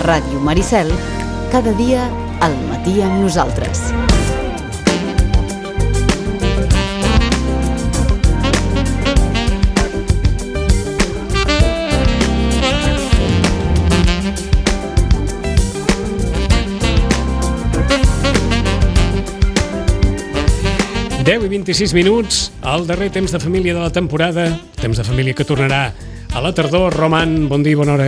Ràdio Maricel, cada dia al matí amb nosaltres. Deu i 26 minuts, el darrer temps de família de la temporada, temps de família que tornarà a la tardor. Roman, bon dia i bona hora.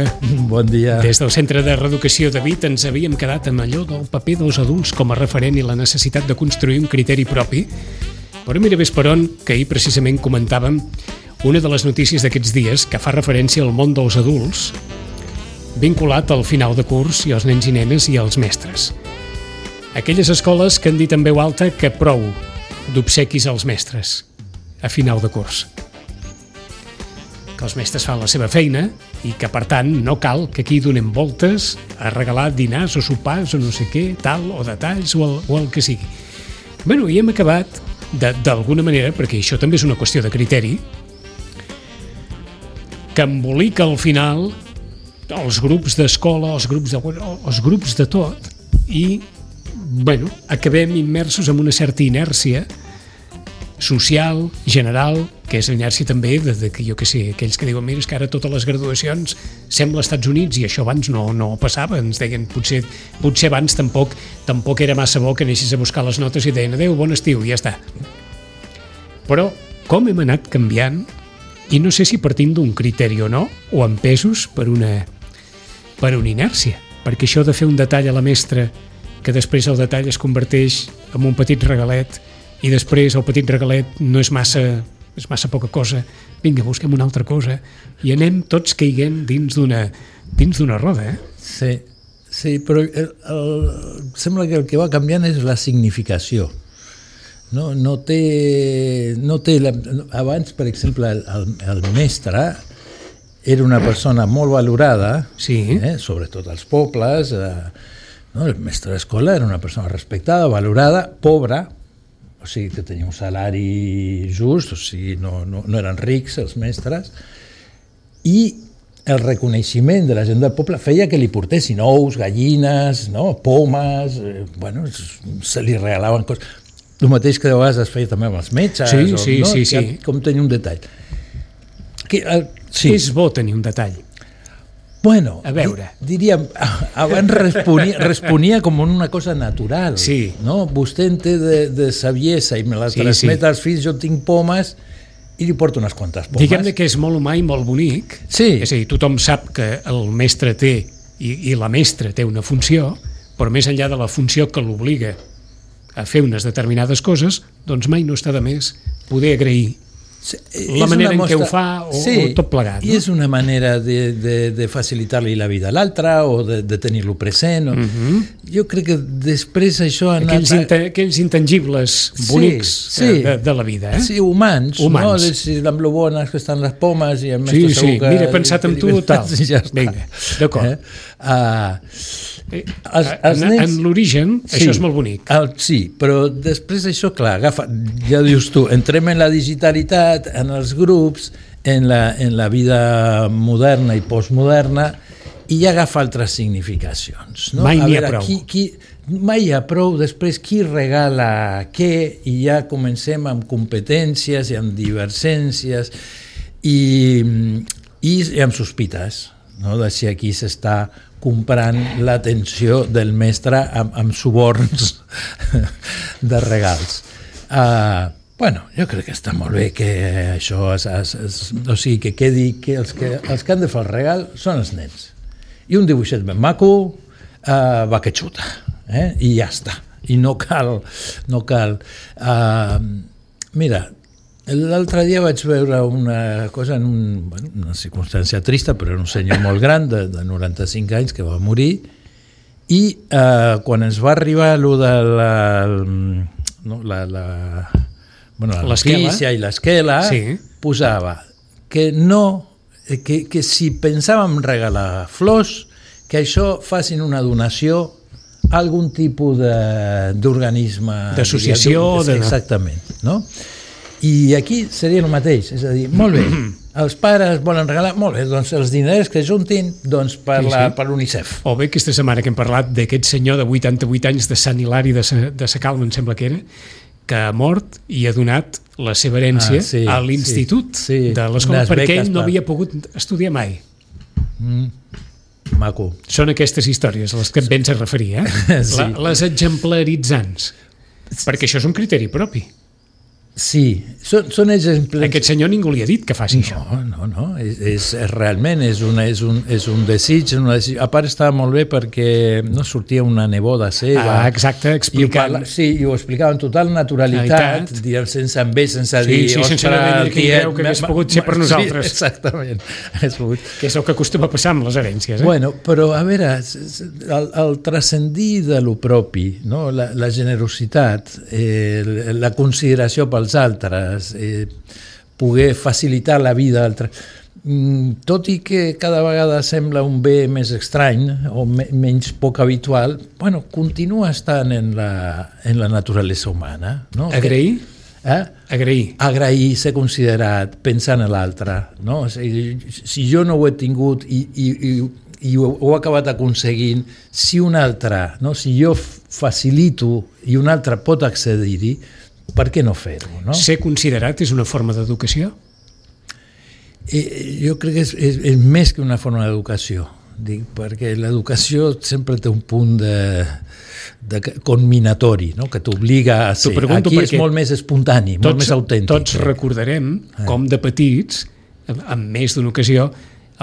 Bon dia. Des del Centre de Reeducació de Vic ens havíem quedat amb allò del paper dels adults com a referent i la necessitat de construir un criteri propi. Però mira ves per on, que ahir precisament comentàvem una de les notícies d'aquests dies que fa referència al món dels adults vinculat al final de curs i als nens i nenes i als mestres. Aquelles escoles que han dit en veu alta que prou d'obsequis als mestres a final de curs, que els mestres fan la seva feina i que per tant no cal que aquí donem voltes a regalar dinars o sopars o no sé què, tal, o detalls o el que sigui. Bueno, i hem acabat d'alguna manera, perquè això també és una qüestió de criteri, que embolica al final els grups d'escola, els grups de tot, i bueno, acabem immersos en una certa inèrcia social, general, que és l'inèrcia també de que, jo què sé, aquells que diuen, mira, és que ara totes les graduacions sembla als Estats Units i això abans no passava, ens deien, potser abans tampoc era massa bo que anessis a buscar les notes i deien, adeu, bon estiu, i ja està. Però com hem anat canviant, i no sé si partint d'un criteri o no, o empesos per una inèrcia, perquè això de fer un detall a la mestra que després el detall es converteix en un petit regalet i després el petit regalet no és massa poca cosa, vinga, busquem una altra cosa, i anem tots caiguent dins d'una roda, Sí, però sembla que el que va canviant és la significació. No té abans, per exemple, el mestre era una persona molt valorada, sí. Sobretot als pobles. El mestre d'escola era una persona respectada, valorada, pobra, o sigui que tenia un salari just, o sigui no eren rics els mestres, i el reconeixement de la gent del poble feia que li portessin ous, gallines, pomes, se li regalaven coses. El mateix que de vegades es feia també amb els metges. Sí. Com tenir un detall. És bo tenir un detall. Bueno, a veure. Diríem, abans responia com una cosa natural. Sí. No? Vostè en té de saviesa i me la transmet als fills, jo tinc pomes i li porto unes quantes pomes. Diguem-ne que és molt humà i molt bonic. Sí. És a dir, tothom sap que el mestre té i la mestra té una funció, però més enllà de la funció que l'obliga a fer unes determinades coses, doncs mai no està de més poder agrair la manera en què ho fa o tot plegat. I és una manera de facilitar-li la vida a l'altre o de tenir-lo present. Jo crec que després això... Aquells intangibles bonics de la vida. Sí, humans. No? Si amb lo bones que estan les pomes i el mestre segur que... Mira, he pensat en tu, tal. Vinga, d'acord. En l'origen, això és molt bonic. Sí, però després això, clar, ja dius tu, entrem en la digitalitat, en els grups, en la vida moderna i postmoderna, i ja agafa altres significacions. Mai n'hi ha prou. Mai hi ha prou, després qui regala què, i ja comencem amb competències i amb divergències i amb sospites, de si aquí s'està comprant l'atenció del mestre amb suborns de regals. Jo crec que està molt bé que això, o sigui, que quedi que els que han de fer el regal són els nens. I un dibuixet ben maco va que xuta, i ja està. I no cal. Mira, l'altre dia vaig veure una cosa en una circumstància trista, però era un senyor molt gran, de 95 anys, que va morir, i quan ens va arribar allò de la notícia i l'esquela, posava que si pensàvem regalar flors, que això facin una donació a algun tipus d'organisme, d'associació, exactament, no? I aquí seria el mateix, és a dir, molt bé, els pares volen regalar, molt bé, doncs els diners que juntin doncs, per l'UNICEF. O bé aquesta setmana que hem parlat d'aquest senyor de 88 anys de Sant Hilari de Sa Calma, em sembla que era, que ha mort i ha donat la seva herència a l'institut de l'escola perquè ell no havia pogut estudiar mai. Maco. Són aquestes històries a les que et vens a referir, les exemplaritzants, perquè això és un criteri propi. Sí, són exemples... Aquest senyor ningú li ha dit que faci això. No, realment és un desig, a part estava molt bé perquè no sortia una neboda seva. Exacte, explicant. Sí, i ho explicava amb total naturalitat, dient sense enveig, sense dir... Sí, sense haver de dir que hagués pogut ser per nosaltres. Sí, exactament. Que és el que acostuma a passar amb les herències. Bueno, però a veure, el transcendir de lo propi, no? La generositat, la consideració pels altres, poder facilitar la vida d'altres, tot i que cada vegada sembla un bé més estrany o menys poc habitual, bueno, continua estant en la naturalesa humana. No? Agrair? Agrair, ser considerat, pensar en l'altre. No? O sigui, si jo no ho he tingut i ho he acabat aconseguint, si un altre, no? Si jo facilito i un altre pot accedir-hi, per què no fer-ho? No? Ser considerat és una forma d'educació? Jo crec que és més que una forma d'educació, perquè l'educació sempre té un punt de conminatori, no? Que t'obliga a ser. Aquí és molt més espontani, molt més autèntic. Tots recordarem com de petits, en més d'una ocasió,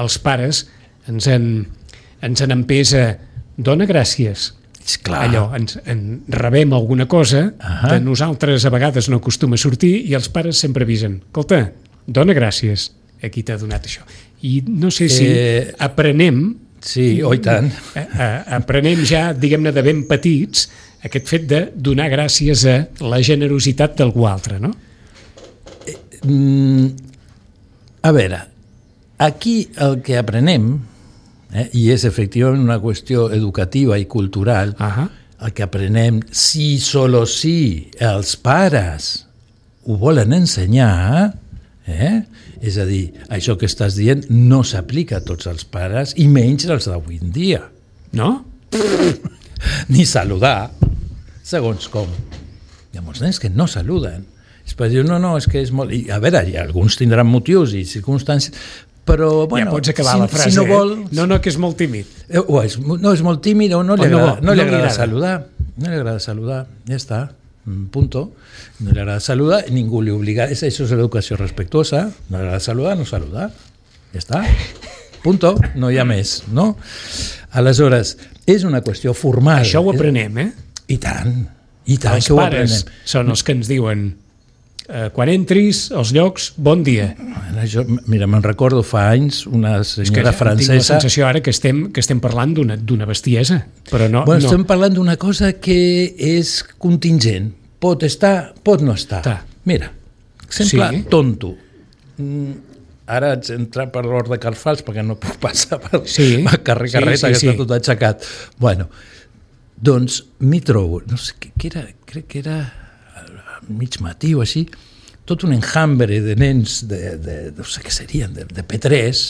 els pares ens han empès a dona gràcies. Clar. Allò, rebem alguna cosa, de nosaltres a vegades no acostuma a sortir i els pares sempre avisen, escolta, dona gràcies, aquí t'ha donat això. I no sé si aprenem... Sí, i tant. Aprenem ja, diguem-ne, de ben petits, aquest fet de donar gràcies a la generositat d'algú altre, no? A veure, aquí el que aprenem, i és efectivament una qüestió educativa i cultural, el que aprenem, si solo si els pares ho volen ensenyar, és a dir, això que estàs dient no s'aplica a tots els pares i menys els d'avui en dia. No? Ni saludar, segons com. Hi ha molts nens que no saluden. És per dir, no, és que és molt... I, a veure, alguns tindran motius i circumstàncies, però, bueno, ja pots acabar la frase, si no vol... No, que és molt tímid. No, és molt tímid o no li agrada saludar. No li agrada saludar, ja està, punto. No li agrada saludar, ningú li obliga. Això és l'educació respectuosa. No li agrada saludar, no saludar. Ja està, punto, no hi ha més, no? Aleshores, és una qüestió formal. Això ho aprenem, I tant els que ho pares aprenem. Són els que ens diuen quan entris als llocs, bon dia. Mira, me'n recordo fa anys una senyora francesa... Tinc la sensació ara que estem parlant d'una bestiesa, però no... Bueno, estem parlant d'una cosa que és contingent. Pot estar, pot no estar. Mira, exemple tonto. Ara haig d'entrar per l'hort de Carfals perquè no puc passar per carrer Carreta, que està tot aixecat. Bueno, doncs m'hi trobo, no sé què era, crec que era mig matí o així, tot un enjambre de nens no sé què serien, de P3,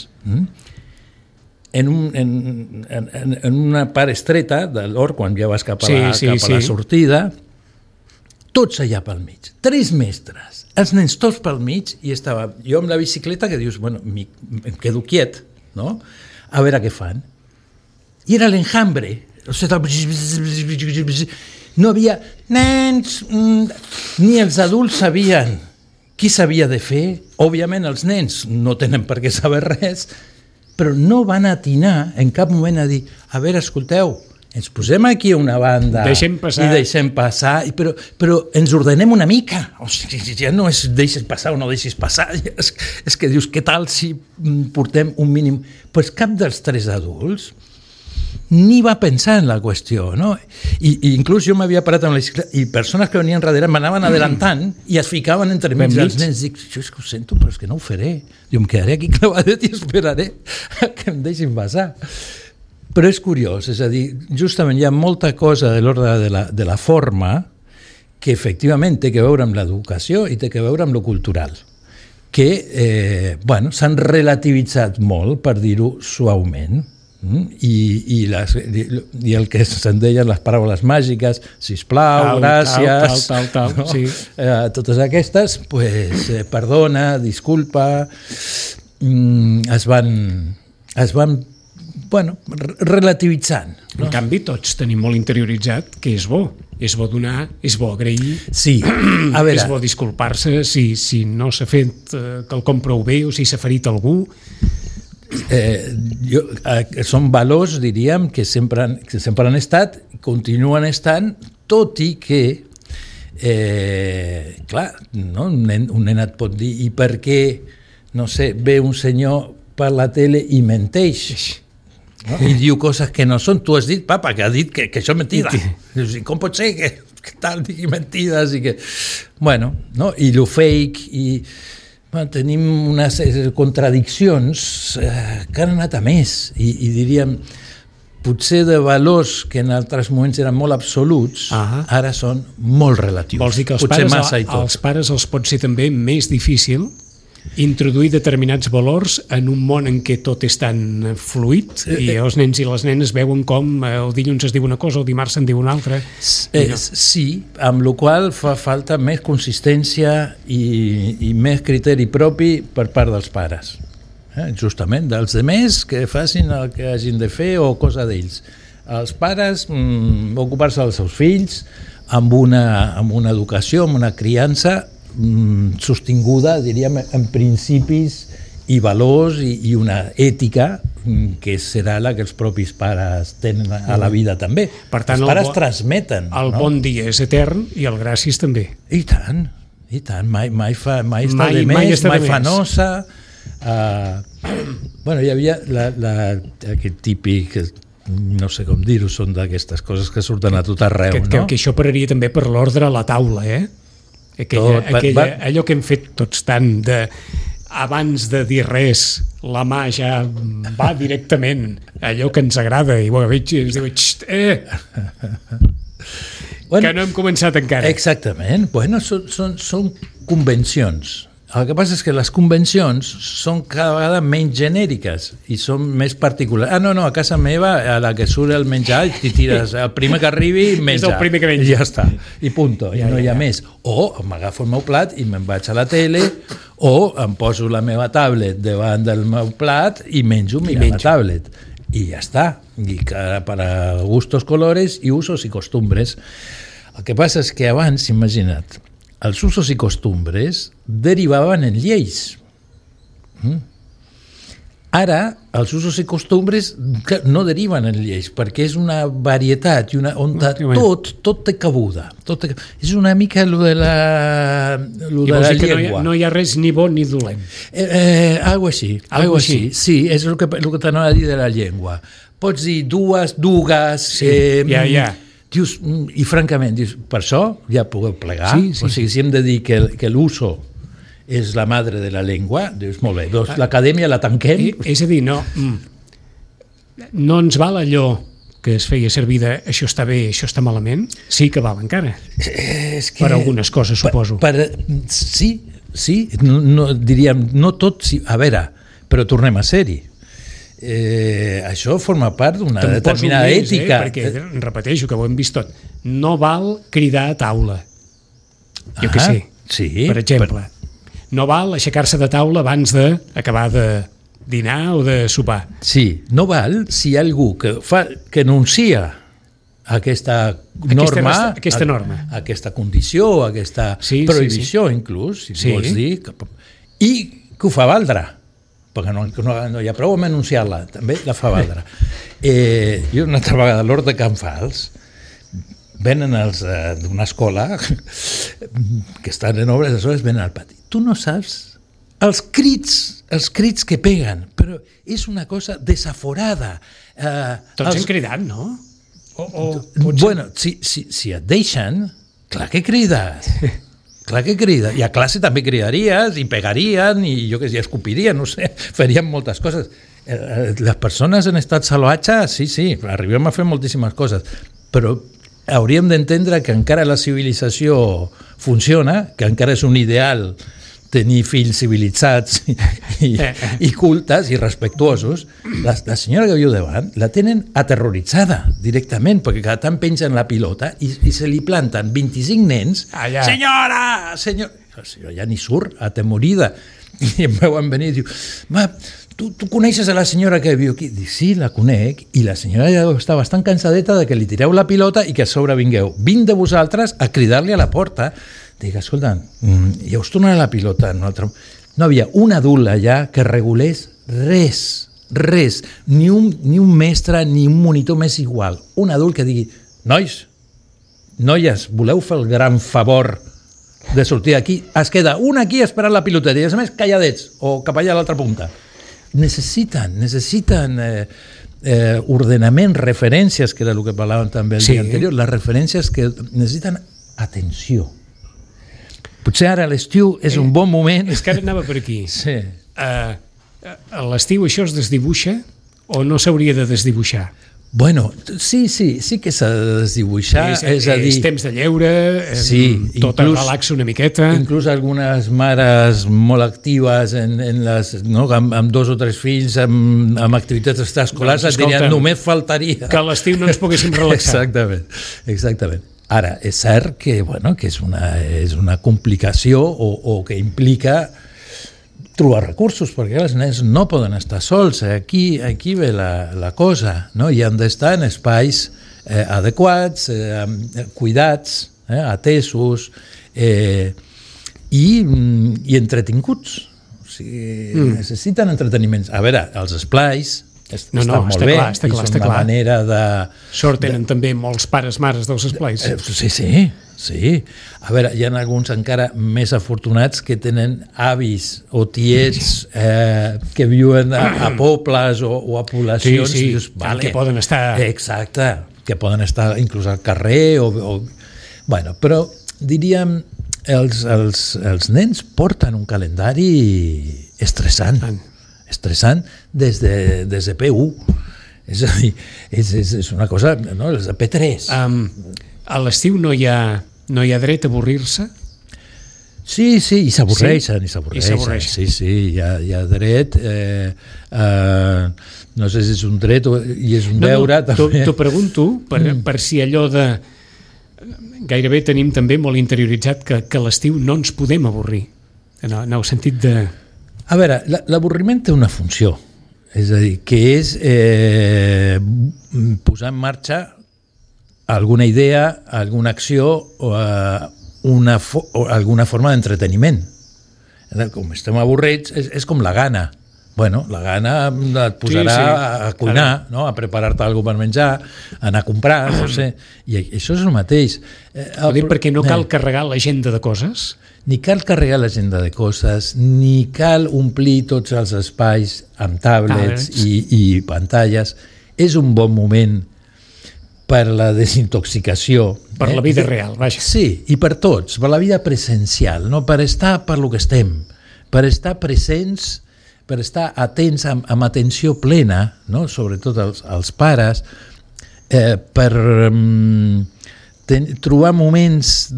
en una part estreta de l'hort, quan ja vas cap a la sortida, tots allà pel mig, 3 mestres, els nens tots pel mig, i estava jo amb la bicicleta que dius, bueno, em quedo quiet, no? A veure què fan. I era l'enjambre, o sigui, no havia nens, ni els adults sabien qui s'havia de fer. Òbviament els nens no tenen per què saber res, però no van atinar en cap moment a dir, a veure, escolteu, ens posem aquí a una banda i deixem passar, però ens ordenem una mica. O sigui, ja no és deixes passar o no deixis passar, és que dius, què tal si portem un mínim... Pues cap dels 3 adults ni va pensar en la qüestió, no? I inclús jo m'havia parat amb la bicicleta i persones que venien darrere m'anaven adelantant i es ficaven entre mig dels nens. Dic, jo és que ho sento, però és que no ho faré. Jo em quedaré aquí clavadet i esperaré que em deixin passar. Però és curiós, és a dir, justament hi ha molta cosa de l'ordre de la forma que efectivament té que veure amb l'educació i té que veure amb lo cultural, que s'han relativitzat molt, per dir-ho suaument, i el que se'n deien les paraules màgiques, sisplau, gràcies, no? Sí. Totes aquestes, perdona, disculpa, es van relativitzant. No? En canvi, tots tenim molt interioritzat que és bo donar, és bo agrair, sí. A veure, és bo disculpar-se si no s'ha fet quelcom prou bé o si s'ha ferit algú. Són valors, diríem, que sempre han estat, continuen estant, tot i que clar, no? Un nen et pot dir, i per què, no sé, ve un senyor per la tele i menteix, no? I diu coses que no són. Tu has dit, papa, que ha dit que això és mentida. Com pot ser que tal digui mentides? I que... Bueno, no? I lo fake, i tenim unes contradiccions que han anat a més, i diríem, potser de valors que en altres moments eren molt absoluts, ara són molt relatius. Vols dir que als pares els pot ser també més difícil introduir determinats valors en un món en què tot és tan fluid i els nens i les nenes veuen com el dilluns es diu una cosa, el dimarts se'n diu una altra. Sí, amb la qual fa falta més consistència i més criteri propi per part dels pares. Justament, dels demés que facin el que hagin de fer o cosa d'ells. Els pares ocupar-se dels seus fills amb una educació, amb una criança sostinguda, diríem, en principis i valors i una ètica que serà la que els propis pares tenen a la vida també. Per tant, els pares transmeten. El bon dia és etern i el gràcies també. I tant. Mai fa de més, mai fa nosa. Hi havia aquest típic, no sé com dir-ho, són d'aquestes coses que surten a tot arreu, no? Que això pararia també per l'ordre a la taula, allò que hem fet tots tant de abans de dir res la mà ja va directament allò que ens agrada i veig i es diu que no hem començat encara. Exactament, són convencions. El que passa és que les convencions són cada vegada menys genèriques i són més particulars. A casa meva, a la que surt el menjar, t'hi tires el primer que arribi, menja. És el primer que menja. I ja està, i punto, i no hi ha més. O m'agafo el meu plat i me'n vaig a la tele, o em poso la meva tablet davant del meu plat i menjo mirant la tablet. I ja està. I para gustos, colores i usos i costumbres. El que passa és que abans, imagina't, els usos i costumbres derivaven en lleis. Ara, els usos i costumbres no deriven en lleis, perquè és una varietat on tot té cabuda. És una mica lo de la llengua. No hi ha res ni bo ni dolent. Algo així. Sí, és el que t'anava a dir de la llengua. Pots dir dues, dugues... Dius, i francament, per això ja podeu plegar. O sigui, si hem de dir que l'uso és la madre de la llengua, dius, molt bé, doncs l'acadèmia la tanquem. És a dir, no ens val allò que es feia servir de això està bé, això està malament, sí que val encara. Per algunes coses, suposo. Sí, diríem, no tot, a veure, però tornem a ser-hi. Això forma part d'una determinada ètica. Perquè, repeteixo, que ho hem vist tot, no val cridar a taula, jo que sé, per exemple. No val aixecar-se de taula abans d'acabar de dinar o de sopar. Sí, no val si hi ha algú que enuncia aquesta norma, aquesta condició, aquesta prohibició, inclús, si vols dir, i que ho fa valdre, perquè no hi ha prou amb anunciar-la, també la fa valdre. Jo una altra vegada a l'Hort de Can Fals venen els d'una escola que estan en obres, aleshores venen al pati. Tu no saps els crits que peguen, però és una cosa desaforada. Tots hem cridat, no? Bueno, si et deixen, clar que crides. Clar que crida. I a classe també cridaries i pegarien i jo que sé, escopirien, no sé, farien moltes coses. Les persones en estat salvatge, sí, arribem a fer moltíssimes coses, però hauríem d'entendre que encara la civilització funciona, que encara és un ideal tenir fills civilitzats i cultes i respectuosos. La senyora que viu davant la tenen aterroritzada directament, perquè cada tant pengen la pilota i se li planten 25 nens. Allà. Senyora! La senyora ja ni surt, atemorida. I em veuen venir i diu, tu coneixes a la senyora que viu aquí? Dic, sí, la conec, i la senyora ja està bastant cansadeta de que li tireu la pilota i que a sobre vingueu 20 de vosaltres a cridar-li a la porta. Dic, escolta, ja us tornarà la pilota. No havia un adult allà que regulés res, ni un mestre ni un monitor més igual. Un adult que digui, noies, voleu fer el gran favor de sortir aquí? Es queda un aquí esperant la pilota i, a més, calladets o cap allà a l'altra punta. Necessiten ordenament, referències, que era el que parlàvem també el dia anterior, les referències que necessiten atenció. Potser ara a l'estiu és un bon moment. És que ara anava per aquí. Sí. A l'estiu això es desdibuixa o no s'hauria de desdibuixar? Bueno, sí que s'ha de desdibuixar. És a dir, temps de lleure, tot el relax una miqueta. Inclús algunes mares molt actives amb 2 o 3 fills, amb activitats extraescolars, et dirien, només faltaria. Que a l'estiu no ens poguéssim relaxar. Exactament. Ara, és cert que és una complicació o que implica trobar recursos, perquè els nens no poden estar sols. Aquí ve la cosa, no? I han d'estar en espais adequats, cuidats, atesos i entretinguts. O sigui, necessiten entreteniments. A veure, els esplais estan molt bé, i són una manera de... Sort tenen també molts pares-mares dels esplais. Sí. A veure, hi ha alguns encara més afortunats que tenen avis o tiets que viuen a pobles o a poblacions. Sí, que poden estar... Exacte, que poden estar inclús al carrer Bueno, però diríem, els nens porten un calendari estressant des de P1. És a dir, és una cosa, no? És de P3. A l'estiu no hi ha dret a avorrir-se? Sí, i s'avorreixen. Sí, hi ha dret. No sé si és un dret i és un deure. T'ho pregunto per si allò de... Gairebé tenim també molt interioritzat que a l'estiu no ens podem avorrir. En el sentit de... A veure, l'avorriment té una funció, és a dir, que és posar en marxa alguna idea, alguna acció o alguna forma d'entreteniment. Com estem avorrits, és com la gana. Bueno, la gana et posarà a cuinar, no? A preparar-te alguna per menjar, a anar a comprar, no sé. I això és el mateix. Perquè no cal carregar l'agenda de coses? Ni cal carregar l'agenda de coses, ni cal omplir tots els espais amb tablets i pantalles. És un bon moment per la desintoxicació. Per la vida real, vaja. Sí, i per tots, per la vida presencial, no? Per estar per lo que estem, per estar presents, per estar atents amb atenció plena, no? Sobretot els pares, per trobar moments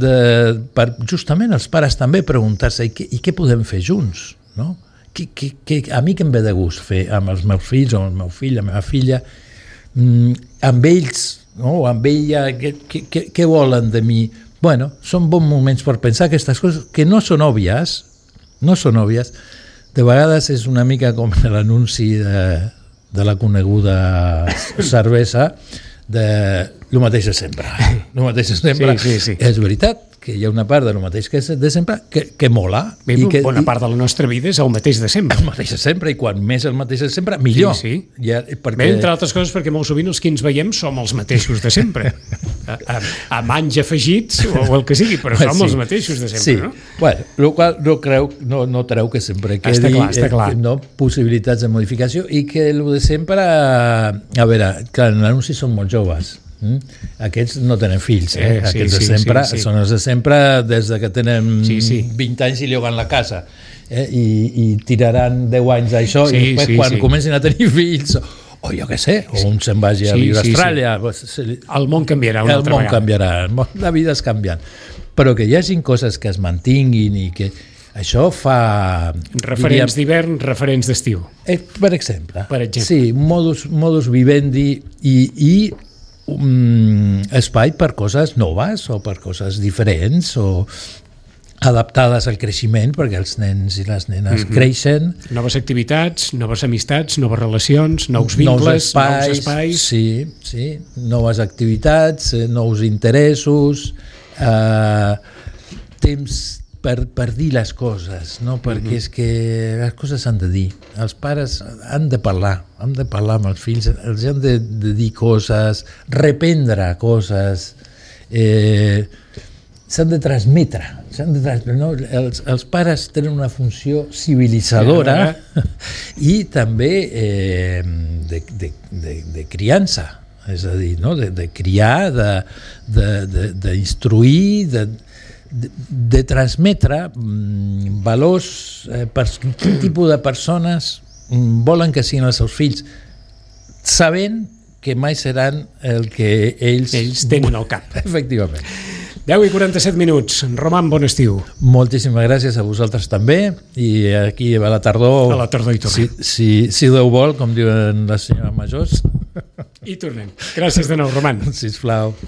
per justament els pares també preguntar-se i què podem fer junts, no? A mi què em ve de gust fer amb els meus fills o amb el meu fill, la meva filla, amb ells, no? Amb ella, què volen de mi? Bueno, són bons moments per pensar aquestes coses que no són òbvies. De vegades és una mica com l'anunci de la coneguda cervesa de lo mateix de sempre. Sí. És veritat que hi ha una part de lo mateix que és de sempre que mola. Bona part de la nostra vida és el mateix de sempre. El mateix de sempre, i quan més el mateix de sempre, millor. Sí. Bé, entre altres coses, perquè molt sovint els que ens veiem som els mateixos de sempre. Amb anys afegits o el que sigui, però som els mateixos de sempre, no? Bueno, el qual no treu que sempre quedi no, possibilitats de modificació, i que el de sempre, a veure, clar, en l'anunci són molt joves. Aquests no tenen fills, aquests de sempre són els de sempre des de que tenen 20 anys i lloguen la casa, i tiraran 10 anys d'això, i després quan comencin a tenir fills o jo què sé, o un se'n vagi a viure a Austràlia. El món canviarà una altra vegada. El món canviarà, la vida és canviant. Però que hi hagi coses que es mantinguin i que això fa... Referents d'hivern, referents d'estiu. Per exemple. Per exemple. Sí, modus vivendi i espai per coses noves o per coses diferents o adaptades al creixement, perquè els nens i les nenes creixen. Noves activitats, noves amistats, noves relacions, nous vincles, nous espais. Sí, noves activitats, nous interessos, temps per dir les coses, no? Perquè és que les coses s'han de dir. Els pares han de parlar amb els fills, els han de dir coses, reprendre coses, s'han de transmetre, no? Els pares tenen una funció civilitzadora i també de criança, és a dir, no? De criar, d'instruir, de transmetre valors, quin tipus de persones volen que siguin els seus fills, sabent que mai seran el que ells tenen al cap. Efectivament. 10:47 minuts. Roman, bon estiu. Moltíssimes gràcies a vosaltres també, i aquí a la tardor... A la tardor hi tornem. Si Déu vol, com diuen les senyores majors. I tornem. Gràcies de nou, Roman. Sisplau.